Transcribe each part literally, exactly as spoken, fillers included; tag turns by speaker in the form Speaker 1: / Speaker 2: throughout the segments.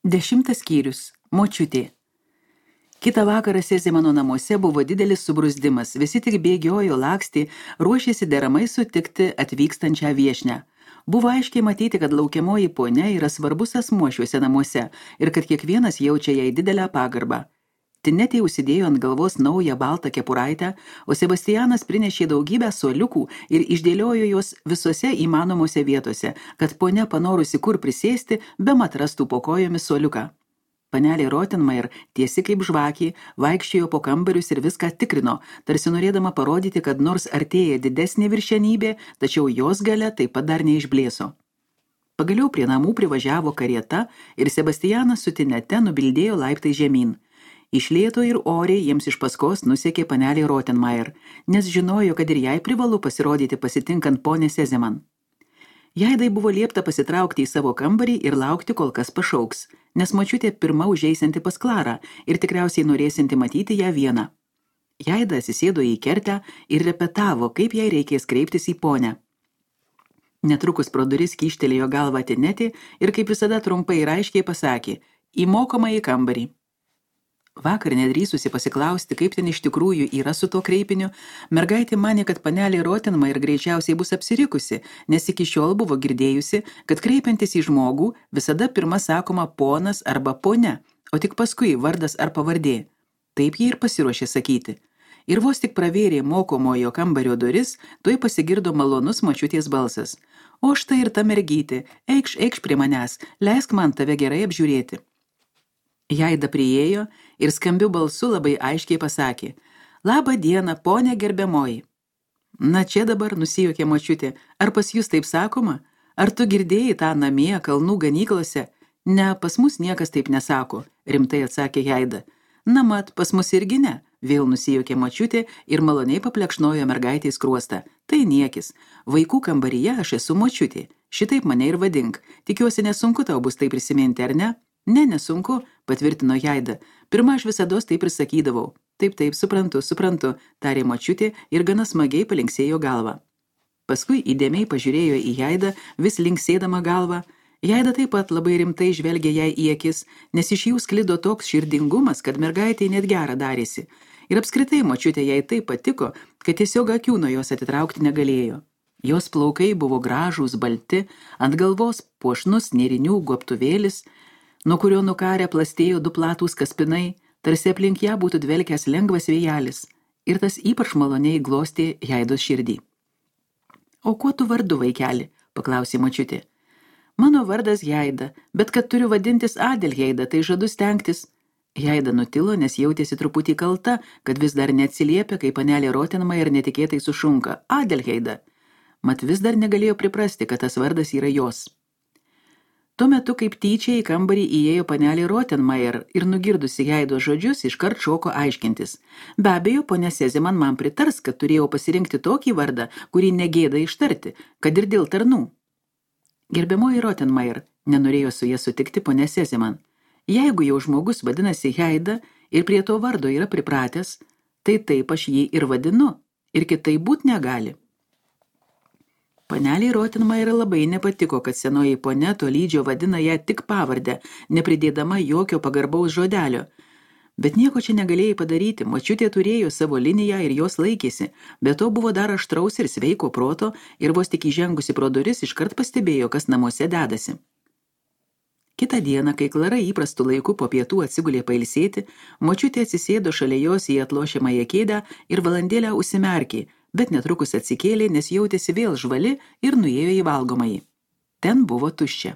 Speaker 1: Dešimtas skyrius. Močiutė. Kitą vakarą Sezemano namuose buvo didelis subruzdimas. Visi tik bėgiojo, lakstė, ruošėsi deramai sutikti atvykstančią viešnią. Buvo aiškiai matyti, kad laukiamoji ponia yra svarbus asmuo šiuose namuose ir kad kiekvienas jaučia jai didelę pagarbą. Tinetė užsidėjo ant galvos naują baltą kepuraitę, o Sebastianas prinešė daugybę suoliukų ir išdėliojo juos visose įmanomose vietose, kad ponia panorusi kur prisėsti, bemat rastų po kojomis suoliuką. Panelė Rottenmeier, tiesi kaip žvakė, vaikščiojo po kambarius ir viską tikrino, tarsi norėdama parodyti, kad nors artėja didesnė viršenybė, tačiau jos galia taip pat dar neišblėso. Pagaliau prie namų privažiavo karieta ir Sebastianas su Tinete nubildėjo laiptai žemyn. Iš lėto ir oriai jiems iš paskos nusekė panelė Rottenmeier, nes žinojo, kad ir jai privalu pasirodyti pasitinkant ponę Sezeman. Jaidai buvo liepta pasitraukti į savo kambarį ir laukti, kol kas pašauks, nes močiutė pirma užeisinti pas Klarą ir tikriausiai norėsinti matyti ją vieną. Jaida atsisėdo į kertę ir repetavo, kaip jai reikės kreiptis į ponę. Netrukus pro duris kyštelėjo galvą Tinetė ir kaip visada trumpai ir aiškiai pasakė: į mokomąjį kambarį. Vakar nedrįsusi pasiklausti, kaip ten iš tikrųjų yra su to kreipiniu, mergaitė manė, kad panelė Rottenmeier greičiausiai bus apsirikusi, nes iki šiol buvo girdėjusi, kad kreipiantis į žmogų visada pirma sakoma ponas arba ponia, o tik paskui vardas ar pavardė. Taip jie ir pasiruošė sakyti. Ir vos tik pravėrė mokomojo kambario duris, tuoj pasigirdo malonus močiutės balsas. O štai ir ta mergytė, eikš, eikš prie manęs, leisk man tave gerai apžiūrėti. Jaida priėjo ir skambiu balsu labai aiškiai pasakė: labą dieną, ponė gerbiamoji. Na čia dabar, nusijuokė močiutė, ar pas jūs taip sakoma? Ar tu girdėjai tą namie kalnų ganyklose? Ne, pas mus niekas taip nesako, rimtai atsakė Jaida. Na mat, pas mus irgi ne, vėl nusijuokė močiutė ir maloniai paplekšnojo mergaitės skruostą. Tai niekis, vaikų kambaryje aš esu močiutė, šitaip mane ir vadink, tikiuosi nesunku tau bus tai prisiminti, ar ne? Ne, nesunku, patvirtino Jaida. Pirma, aš visados taip ir sakydavau. Taip, taip, suprantu, suprantu, tarė močiutė ir gana smagiai palinksėjo galvą. Paskui įdėmiai pažiūrėjo į Jaidą, vis linksėdama galvą. Jaida taip pat labai rimtai žvelgė jai į akis, nes iš jų sklido toks širdingumas, kad mergaitė net gera darėsi. Ir apskritai močiutė jai taip patiko, kad tiesiog akių nuo jos atitraukti negalėjo. Jos plaukai buvo gražūs, balti, ant galvos puošnus nėrinių gobtuvėlis, nuo kurio nukarę plastėjo du platūs kaspinai, tarsi aplink ją būtų dvelkęs lengvas vėjelis, ir tas ypač maloniai glostė Jaidos širdį. O kuo tu vardu, vaikeli? Paklausė močiutė. Mano vardas Jaida, bet kad turiu vadintis Adelheida, tai žadu stengtis. Jaida nutilo, nes jautėsi truputį kalta, kad vis dar neatsiliepia, kai panelė Rottenmeier netikėtai sušunka: Adelheida. Mat vis dar negalėjo priprasti, kad tas vardas yra jos. Tuo metu kaip tyčia į kambarį įėjo panelė Rottenmeier ir nugirdusi Jaidos žodžius iškart šoko aiškintis. Be abejo, ponia Sezeman man pritars, kad turėjau pasirinkti tokį vardą, kurį negėda ištarti, kad ir dėl tarnų. Gerbiamoji Rottenmeier, nenorėjo su ja sutikti ponia Sezeman. Jeigu jau žmogus vadinasi Jaida ir prie to vardo yra pripratęs, tai taip aš jį ir vadinu, ir kitaip būt negali. Panelė Rottenmeier labai nepatiko, kad senoji ponia tolydžio vadina ją tik pavardę, nepridėdama jokio pagarbaus žodelio. Bet nieko čia negalėjai padaryti, močiutė turėjo savo liniją ir jos laikėsi, bet to buvo dar aštraus ir sveiko proto ir vos tik įžengusi pro duris iškart pastebėjo, kas namuose dedasi. Kitą dieną, kai Klara įprastų laiku po pietų atsigulė pailsėti, močiutė atsisėdo šalia jos į atlošiamąją kėdę ir valandėlę užsimerkė, bet netrukus atsikėlė, nes jautėsi vėl žvali ir nuėjo į valgomąjį. Ten buvo tuščia.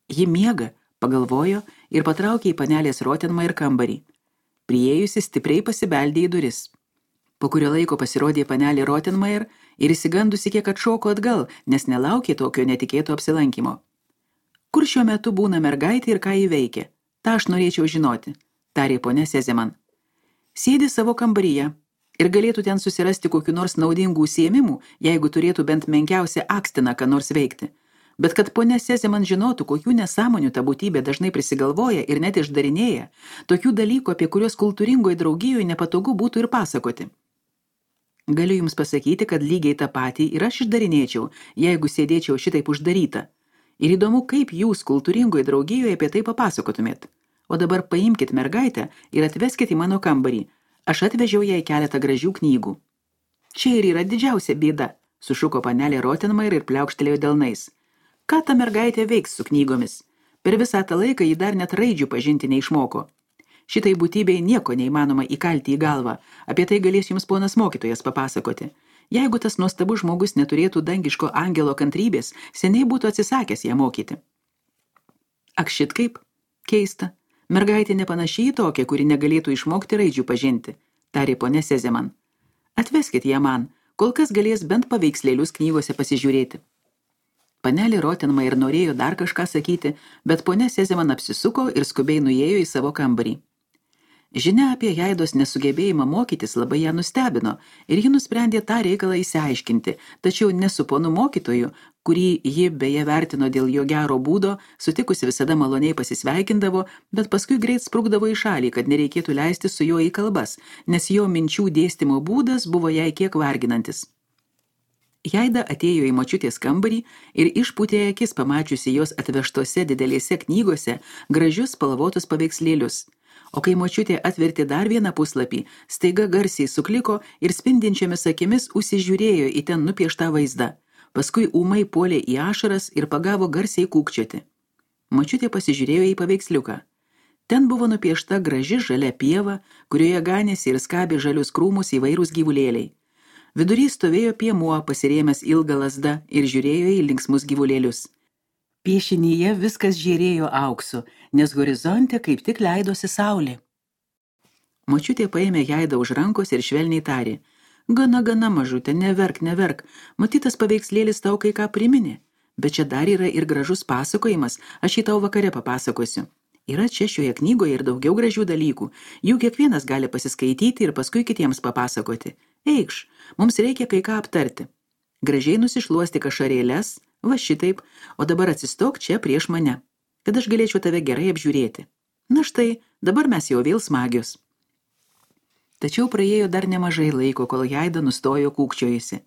Speaker 1: Ji miega, pagalvojo ir patraukė į panelės Rottenmeier kambarį. Priėjusi stipriai pasibeldė į duris. Po kurio laiko pasirodė panelė Rottenmeier ir įsigandusi kiek atšoko atgal, nes nelaukė tokio netikėto apsilankimo. Kur šiuo metu būna mergaitė ir ką ji veikia? Ta aš norėčiau žinoti, tarė ponia Sezeman. Sėdi savo kambaryje ir galėtų ten susirasti kokių nors naudingų užsiėmimų, jeigu turėtų bent menkiausią akstiną, ką nors veikti. Bet kad ponia Sezeman žinotų, kokių nesąmonių ta būtybė dažnai prisigalvoja ir net išdarinėja, tokių dalykų, apie kuriuos kultūringoje draugijoje nepatogu būtų ir pasakoti. Galiu jums pasakyti, kad lygiai tą patį ir aš išdarinėčiau, jeigu sėdėčiau šitaip uždaryta. Ir įdomu, kaip jūs kultūringoje draugijoje apie tai papasakotumėt. O dabar paimkit mergaitę ir atveskit į mano kambarį. Aš atvežiau jai keletą gražių knygų. Čia ir yra didžiausia bėda, sušuko panelė Rottenmeier ir pliaukštelėjo delnais. Ką ta mergaitė veiks su knygomis? Per visą tą laiką ji dar net raidžių pažinti neišmoko. Šitai būtybei nieko neįmanoma įkalti į galvą. Apie tai galės jums ponas mokytojas papasakoti. Jeigu tas nuostabus žmogus neturėtų dangiško angelo kantrybės, seniai būtų atsisakęs ją mokyti. Ak šit kaip? Keista. Mergaitė nepanašiai į tokią, kuri negalėtų išmokti raidžių pažinti, tarė ponė Sezeman. Atveskit ją man, kol kas galės bent paveikslėlius knygose pasižiūrėti. Panelė Rottenmeier norėjo dar kažką sakyti, bet ponė Sezeman apsisuko ir skubiai nuėjo į savo kambarį. Žinia apie Jaidos nesugebėjimą mokytis labai ją nustebino ir ji nusprendė tą reikalą įsiaiškinti, tačiau ne su ponu mokytoju, kurį ji beje vertino dėl jo gero būdo, sutikusi visada maloniai pasisveikindavo, bet paskui greit sprukdavo į šalį, kad nereikėtų leisti su juo į kalbas, nes jo minčių dėstymo būdas buvo jai kiek varginantis. Jaida atėjo į močiutės kambarį ir išpūtė akis pamačiusi jos atvežtose didelėse knygose gražius spalvotus paveikslėlius. O kai močiutė atvertė dar vieną puslapį, staiga garsiai sukliko ir spindinčiomis akimis užsižiūrėjo į ten nupieštą vaizdą. Paskui ūmai puolė į ašaras ir pagavo garsiai kūkčioti. Močiutė pasižiūrėjo į paveiksliuką. Ten buvo nupiešta graži žalia pieva, kurioje ganėsi ir skabė žalius krūmus įvairūs gyvulėliai. Vidury stovėjo piemuo, pasirėmęs ilgą lazdą ir žiūrėjo į linksmus gyvulėlius. Piešinyje viskas žėrėjo auksu, nes horizonte kaip tik leidosi saulė. Močiutė paėmė Jaidą už rankos ir švelniai tarė. Gana, gana, mažutė, neverk, neverk, matytas paveikslėlis tau kai ką priminė. Bet čia dar yra ir gražus pasakojimas, aš jį tau vakare papasakosiu. Yra čia šioje knygoje ir daugiau gražių dalykų, jų kiekvienas gali pasiskaityti ir paskui kitiems papasakoti. Eikš, mums reikia kai ką aptarti. Gražiai nusišluosti ašarėles, va šitaip, o dabar atsistok čia prieš mane, kad aš galėčiau tave gerai apžiūrėti. Na štai, dabar mes jau vėl smagios. Tačiau praėjo dar nemažai laiko, kol Jaida nustojo kūkčiojusi.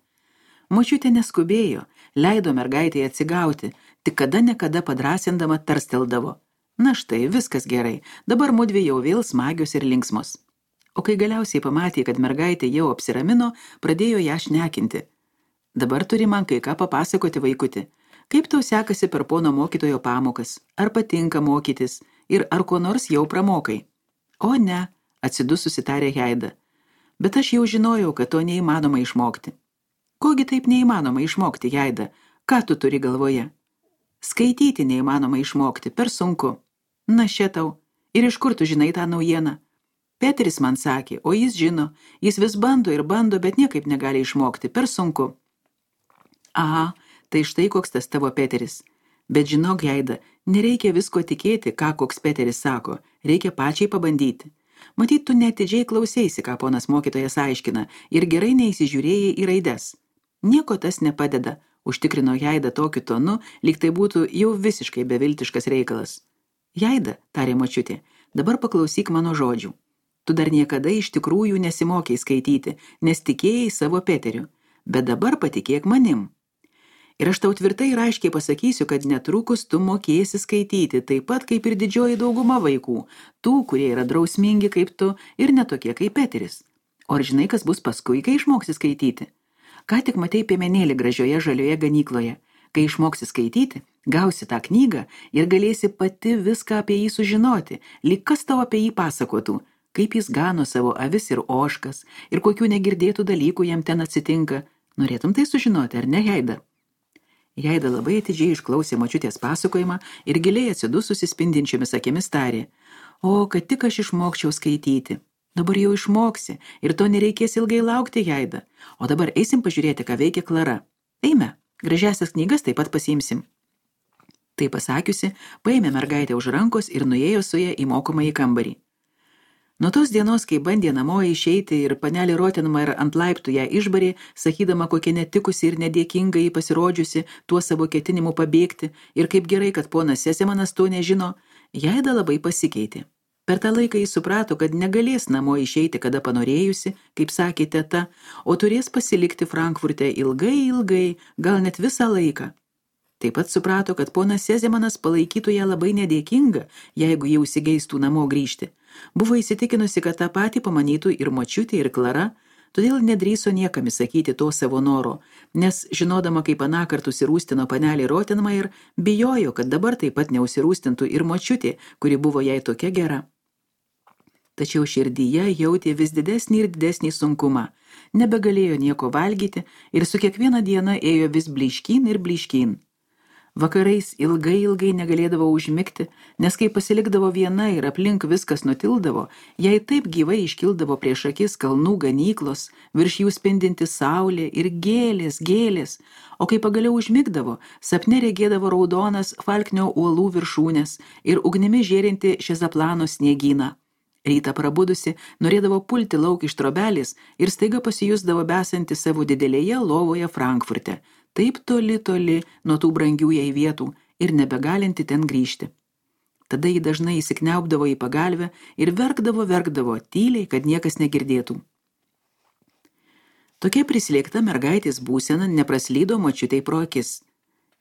Speaker 1: Močiutė neskubėjo, leido mergaitėje atsigauti, tik kada nekada padrasindama tarsteldavo. Na štai, viskas gerai, dabar mudvi jau vėl smagios ir linksmos. O kai galiausiai pamatė, kad mergaitė jau apsiramino, pradėjo ją šnekinti. Dabar turi man kai ką papasakoti, vaikuti. Kaip tau sekasi per pono mokytojo pamokas? Ar patinka mokytis? Ir ar ko nors jau pramokai? O ne, atsidususi tarė Jaida. Bet aš jau žinojau, kad to neįmanoma išmokti. Kogi taip neįmanoma išmokti, Jaida? Ką tu turi galvoje? Skaityti neįmanoma išmokti, per sunku. Na šitau, ir iš kur tu žinai tą naujieną? Peteris man sakė, o jis žino, jis vis bando ir bando, bet niekaip negali išmokti, per sunku. Aha, tai štai koks tas tavo Peteris. Bet žinok, Jaida, nereikia visko tikėti, ką koks Peteris sako, reikia pačiai pabandyti. Matyt, tu netidžiai klausėsi, ką ponas mokytojas aiškina, ir gerai neįsižiūrėjai į raides. Nieko tas nepadeda, užtikrino Jaida tokiu tonu, lyg tai būtų jau visiškai beviltiškas reikalas. Jaida, tarė močiutė, dabar paklausyk mano žodžių. Tu dar niekada iš tikrųjų nesimokei skaityti, nes tikėjai savo Peteriu, bet dabar patikėk manim. Ir aš tau tvirtai ir aiškiai pasakysiu, kad netrukus tu mokėsi skaityti, taip pat kaip ir didžioji dauguma vaikų, tų, kurie yra drausmingi kaip tu ir netokie kaip Peteris. O ar žinai, kas bus paskui, kai išmoksi skaityti? Ką tik matei piemenėlį gražioje žalioje ganykloje. Kai išmoksi skaityti, gausi tą knygą ir galėsi pati viską apie jį sužinoti, lyg kas tau apie jį pasakotų, kaip jis gano savo avis ir ožkas ir kokių negirdėtų dalykų jam ten atsitinka. Norėtum tai sužinoti, ar ne, Jaida? Jaida labai atidžiai išklausė močiutės pasakojimą ir giliai atsidususi spindinčiomis akimis tarė. O, kad tik aš išmokčiau skaityti. Dabar jau išmoksi ir to nereikės ilgai laukti, Jaida. O dabar eisim pažiūrėti, ką veikia Klara. Eime, gražiasias knygas taip pat pasiimsim. Tai pasakiusi, paėmė mergaitę už rankos ir nuėjo su ją į mokomąjį kambarį. Nuo tos dienos, kai bandė namo išeiti ir panelė Rottenmeier ant laiptų ją išbarė, sakydama, kokia netikusi ir nedėkinga jį pasirodžiusi tuo savo ketinimu pabėgti ir kaip gerai, kad ponas Sesemanas to nežino, Jaida labai pasikeitė. Per tą laiką jis suprato, kad negalės namo išeiti, kada panorėjusi, kaip sakė teta, o turės pasilikti Frankfurte ilgai, ilgai, gal net visą laiką. Taip pat suprato, kad ponas Sezemanas palaikytų ją labai nedėkinga, jeigu jau įsigeistų namo grįžti. Buvo įsitikinusi, kad tą patį pamanytų ir močiutė, ir Klara, todėl nedrįso niekam įsakyti to savo noro, nes žinodama, kaip anąkart užsirūstino panelė Rottenmeier, bijojo, kad dabar taip pat neužsirūstintų ir močiutė, kuri buvo jai tokia gera. Tačiau širdyje jautė vis didesnį ir didesnį sunkumą, nebegalėjo nieko valgyti ir su kiekviena diena ėjo vis blyškyn ir blyškyn. Vakarais ilgai ilgai negalėdavo užmigti, nes kai pasilikdavo viena ir aplink viskas nutildavo, jai taip gyvai iškildavo prieš akis kalnų ganyklos, virš jų spindinti saulė ir gėlės, gėlės, o kai pagaliau užmigdavo, sapne regėdavo raudonas Falknio uolų viršūnės ir ugnimi žėrinti Šezaplano sniegyną. Rytą prabudusi, norėdavo pulti lauk iš trobelės ir staiga pasijusdavo besanti savo didelėje lovoje Frankfurte, taip toli toli nuo tų brangių jai vietų ir nebegalinti ten grįžti. Tada ji dažnai įsikniaubdavo į pagalvę ir verkdavo, verkdavo, tyliai, kad niekas negirdėtų. Tokia prislėgta mergaitės būsena nepraslydo močiutei pro akis.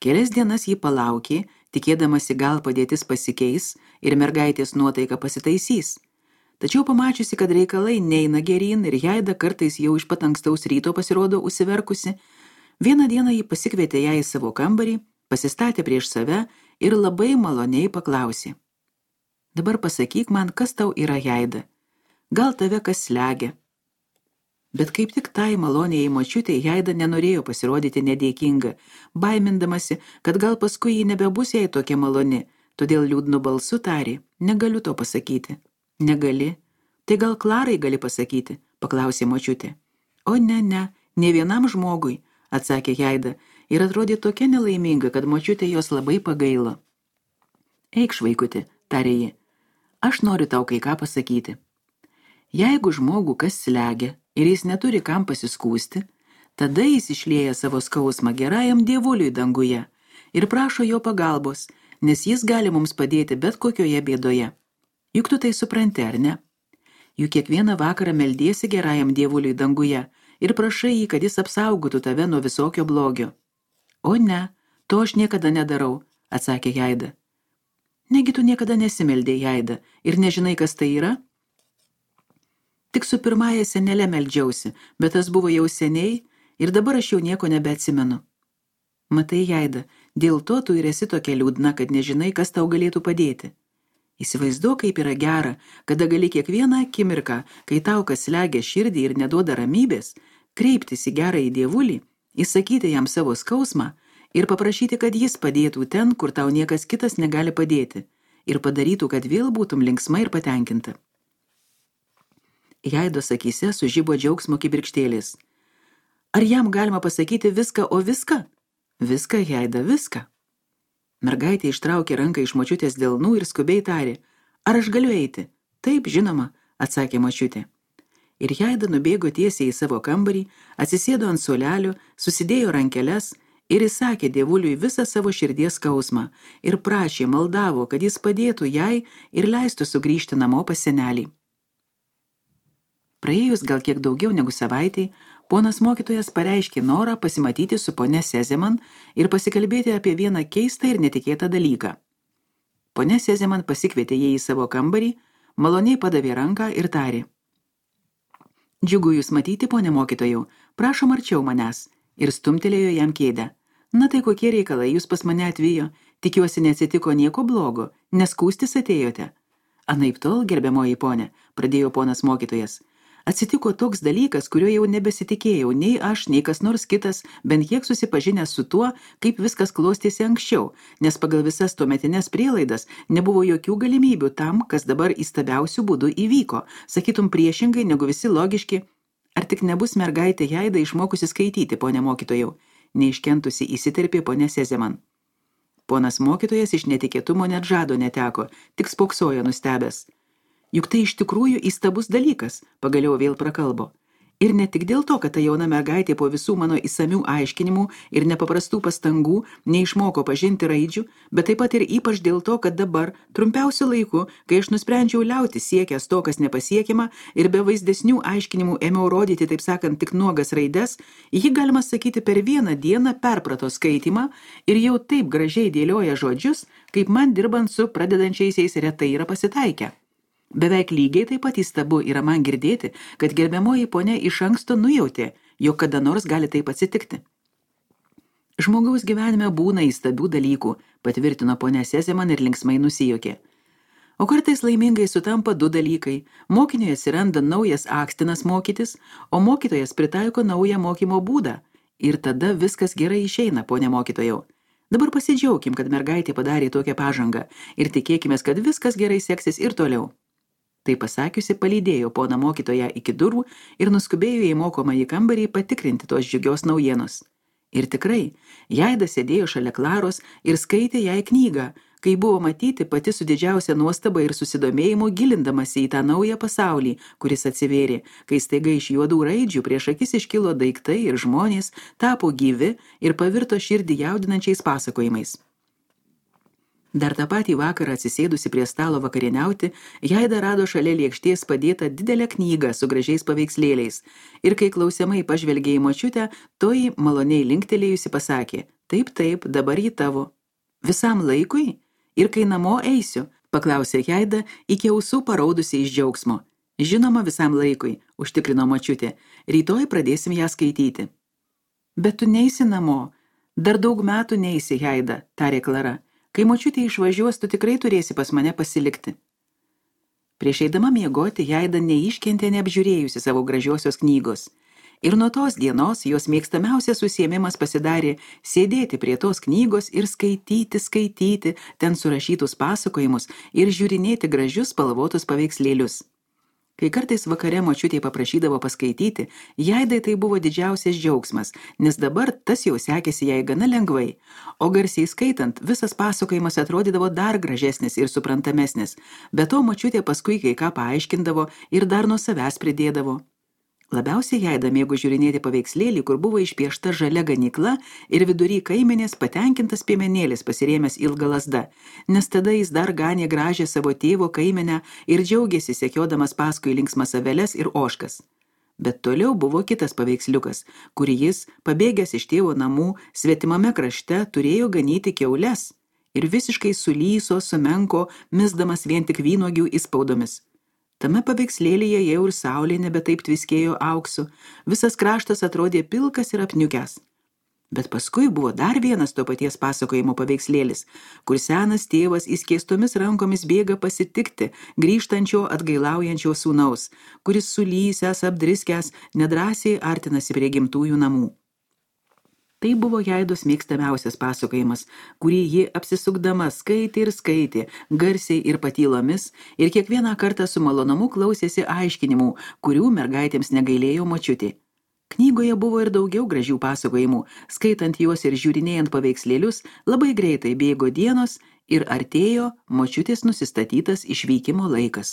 Speaker 1: Kelias dienas ji palaukė, tikėdamasi gal padėtis pasikeis ir mergaitės nuotaika pasitaisys. Tačiau pamačiusi, kad reikalai neina geryn ir Jaida kartais jau iš pat ankstaus ryto pasirodo užsiverkusi, vieną dieną ji pasikvietė ją į savo kambarį, pasistatė prieš save ir labai maloniai paklausė. Dabar pasakyk man, kas tau yra, Jaida. Gal tave kas slegia? Bet kaip tik tai maloniai močiutei Jaida nenorėjo pasirodyti nedėkinga, baimindamasi, kad gal paskui ji nebebus jai tokia maloni, todėl liūdnu balsu tarė, negaliu to pasakyti. Negali? Tai gal Klarai gali pasakyti, paklausė močiutė. O ne, ne, ne vienam žmogui, atsakė Jaida ir atrodė tokia nelaiminga, kad močiutė jos labai pagailo. Eikš, vaikuti, tarė ji, aš noriu tau kai ką pasakyti. Jeigu žmogų kas slegia ir jis neturi kam pasiskūsti, tada jis išlieja savo skausmą gerajam dievuliui danguje ir prašo jo pagalbos, nes jis gali mums padėti bet kokioje bėdoje. Juk tu tai supranti, ar ne? Juk kiekvieną vakarą meldiesi gerajam dievuliui danguje ir prašai jį, kad jis apsaugotų tave nuo visokio blogio. O ne, to aš niekada nedarau, atsakė Jaida. Negi tu niekada nesimeldė, Jaida, ir nežinai, kas tai yra? Tik su pirmąja senele meldžiausi, bet tas buvo jau seniai ir dabar aš jau nieko nebeatsimenu. Matai, Jaida, dėl to tu ir esi tokia liūdna, kad nežinai, kas tau galėtų padėti. Įsivaizduok, kaip yra gera, kada gali kiekvieną akimirką, kai tau kas slegia širdį ir neduoda ramybės, kreiptis į gerąjį dievulį, įsakyti jam savo skausmą ir paprašyti, kad jis padėtų ten, kur tau niekas kitas negali padėti, ir padarytų, kad vėl būtum linksma ir patenkinta. Jaidos akyse sužibo džiaugsmo kibirkštėlės. Ar jam galima pasakyti viską, o viską? Viską, Jaida, viską. Mergaitė ištraukė ranką iš močiutės delnų ir skubiai tarė, ar aš galiu eiti? Taip, žinoma, atsakė močiutė. Ir Jaida nubėgo tiesiai į savo kambarį, atsisėdo ant suolelio, susidėjo rankeles ir įsakė dievuliui visą savo širdies skausmą ir prašė, maldavo, kad jis padėtų jai ir leistų sugrįžti namo pas senelį. Praėjus gal kiek daugiau negu savaitei, ponas mokytojas pareiškė norą pasimatyti su ponia Sezeman ir pasikalbėti apie vieną keistą ir netikėtą dalyką. Ponia Sezeman pasikvietė jį į savo kambarį, maloniai padavė ranką ir tarė. Džiugu jūs matyti, ponia mokytojau, prašom arčiau manęs, ir stumtelėjo jam kėdę. Na tai kokie reikalai jūs pas mane atvijo, tikiuosi neatsitiko nieko blogo, neskūstis atėjote. Anaip tol, gerbiamoji ponė, pradėjo ponas mokytojas. Atsitiko toks dalykas, kurio jau nebesitikėjau, nei aš, nei kas nors kitas, bent kiek susipažinęs su tuo, kaip viskas klostėsi anksčiau, nes pagal visas tuometines prielaidas nebuvo jokių galimybių tam, kas dabar įstabiausių būdų įvyko, sakytum priešingai negu visi logiški. Ar tik nebus mergaitė Jaida išmokusi skaityti, ponė mokytojau, neiškentusi įsiterpė ponė Sezeman. Ponas mokytojas iš netikėtumo net žado neteko, tik spoksojo nustebęs. Juk tai iš tikrųjų įstabus dalykas, pagaliau vėl prakalbo. Ir ne tik dėl to, kad ta jauna mergaitė po visų mano įsamių aiškinimų ir nepaprastų pastangų neišmoko pažinti raidžių, bet taip pat ir ypač dėl to, kad dabar, trumpiausiu laiku, kai aš nusprendžiau liauti siekęs to, kas nepasiekiama, ir be vaizdesnių aiškinimų ėmiau rodyti, taip sakant, tik nuogas raides, ji, galima sakyti, per vieną dieną perprato skaitymą ir jau taip gražiai dėlioja žodžius, kaip man dirbant su pradedančiaisiais retai yra pasitaikę. Beveik lygiai taip pat įstabu yra man girdėti, kad gerbiamoji ponia iš anksto nujautė, jog kada nors gali taip atsitikti. Žmogaus gyvenime būna įstabių dalykų, patvirtino ponia Sezeman ir linksmai nusijokė. O kartais laimingai sutampa du dalykai. Mokiniui atsiranda naujas akstinas mokytis, o mokytojas pritaiko naują mokymo būdą. Ir tada viskas gerai išeina, ponia mokytojau. Dabar pasidžiaukim, kad mergaitė padarė tokią pažangą ir tikėkimės, kad viskas gerai seksis ir toliau. Tai pasakiusi, palydėjo poną mokytoją iki durų ir nuskubėjo į mokomąjį kambarį patikrinti tos džiugios naujienos. Ir tikrai, Jaida sėdėjo šalia Klaros ir skaitė jai knygą, kai buvo matyti pati su didžiausia nuostaba ir susidomėjimu gilindamasi į tą naują pasaulį, kuris atsivėrė, kai staiga iš juodų raidžių prieš akis iškilo daiktai ir žmonės, tapo gyvi ir pavirto širdį jaudinančiais pasakojimais. Dar tą patį vakarą atsisėdusi prie stalo vakarieniauti, Jaida rado šalia lėkštės padėtą didelę knygą su gražiais paveikslėliais ir kai klausiamai pažvelgė į močiutę, toji maloniai linktelėjusi pasakė, taip, taip, dabar ji tavo. Visam laikui? Ir kai namo eisiu? Paklausė Jaida, iki ausų paraudusi iš džiaugsmo. Žinoma, visam laikui, užtikrino močiutė, rytoj pradėsim ją skaityti. Bet tu neisi namo, dar daug metų neisi, Jaida, tarė Klara. Kai močiutė išvažiuos, tu tikrai turėsi pas mane pasilikti. Prieš eidama miegoti, Jaida neiškentė neapžiūrėjusi savo gražiosios knygos. Ir nuo tos dienos jos mėgstamiausias užsiėmimas pasidarė sėdėti prie tos knygos ir skaityti, skaityti ten surašytus pasakojimus ir žiūrinėti gražius spalvotus paveikslėlius. Kai kartais vakare močiutė paprašydavo paskaityti, Jaidai tai buvo didžiausias džiaugsmas, nes dabar tas jau sekėsi jai gana lengvai, o garsiai skaitant visas pasakojimas atrodydavo dar gražesnis ir suprantamesnis, bet to močiutė paskui kai ką paaiškindavo ir dar nuo savęs pridėdavo. Labiausiai Jaida mėgo žiūrinėti paveikslėlį, kur buvo išpiešta žalia ganykla ir vidury kaimenės patenkintas piemenėlis pasirėmęs ilgą lazdą, nes tada jis dar ganė gražią savo tėvo kaimenę ir džiaugėsi sekiodamas paskui linksmas aveles ir ožkas. Bet toliau buvo kitas paveiksliukas, kurį jis, pabėgęs iš tėvo namų, svetimame krašte turėjo ganyti kiaules ir visiškai sulyso, sumenko, misdamas vien tik vynuogių įspaudomis. Tame paveikslėlyje jau ir saulė nebe taip tviskėjo auksu, visas kraštas atrodė pilkas ir apniukęs. Bet paskui buvo dar vienas to paties pasakojimo paveikslėlis, kur senas tėvas įskėstomis rankomis bėga pasitikti grįžtančio atgailaujančio sūnaus, kuris sulysęs, apdriskęs, nedrąsiai artinasi prie gimtųjų namų. Tai buvo Jaidos mėgstamiausias pasakojimas, kurį ji apsisukdama skaitė ir skaitė, garsiai ir patylomis, ir kiekvieną kartą su malonumu klausėsi aiškinimų, kurių mergaitėms negailėjo močiutė. Knygoje buvo ir daugiau gražių pasakojimų, skaitant juos ir žiūrinėjant paveikslėlius, labai greitai bėgo dienos ir artėjo močiutės nusistatytas išvykimo laikas.